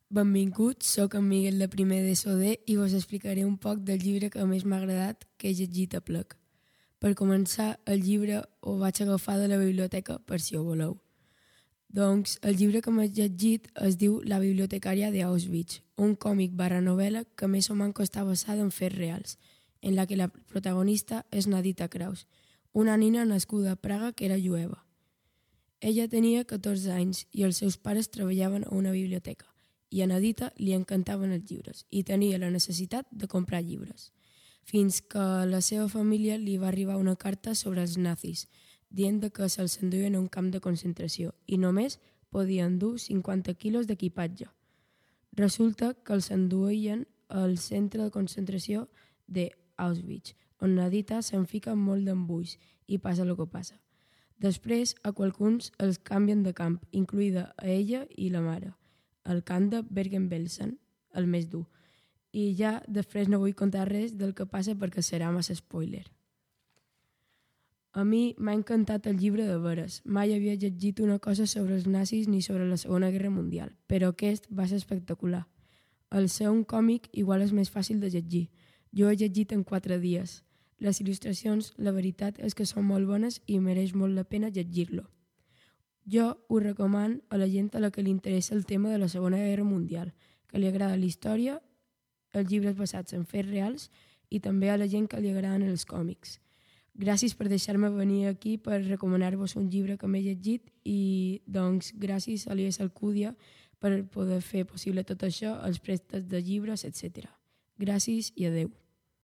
Benvinguts, sóc en Miguel de primer d'ESOD i vos explicaré un poc del llibre que més m'ha agradat que he llegit a plec. Per començar, el llibre ho vaig agafar de la biblioteca, per si ho voleu. Doncs el llibre que m'he llegit es diu La bibliotecària d'Auschwitz, un còmic barra novel·la que més o menys està basada en fets reals, en la que la protagonista és Nadita Kraus, una nina nascuda a Praga que era jueva. Ella tenia 14 anys i els seus pares treballaven a una biblioteca i a Nadita li encantaven els llibres i tenia la necessitat de comprar llibres, fins que a la seva família li va arribar una carta sobre els nazis, dient que se'ls enduien a un camp de concentració i només podien dur 50 quilos d'equipatge. Resulta que els enduien al centre de concentració d'Auschwitz, on Nadita se'n fica molt d'embulls i passa el que passa. Després, a qualcuns els canvien de camp, incluïda a ella i la mare, al camp de Bergen-Belsen, el més dur. I ja després no vull contar res del que passa perquè serà massa spoiler. A mi m'ha encantat el llibre de veres. Mai havia llegit una cosa sobre els nazis ni sobre la Segona Guerra Mundial, però aquest va ser espectacular. Al ser un còmic igual és més fàcil de llegir. Jo he llegit en 4 dies. Les il·lustracions, la veritat és que són molt bones i mereix molt la pena llegir-lo. Jo ho recomano a la gent a la que li interessa el tema de la Segona Guerra Mundial, que li agrada la història, els llibres basats en fets reals i també a la gent que li agraden els còmics. Gràcies per deixar-me venir aquí per recomanar-vos un llibre que m'he llegit i doncs gràcies a l'IES Alcúdia per poder fer possible tot això, els préstecs de llibres, etc. Gràcies i adeu.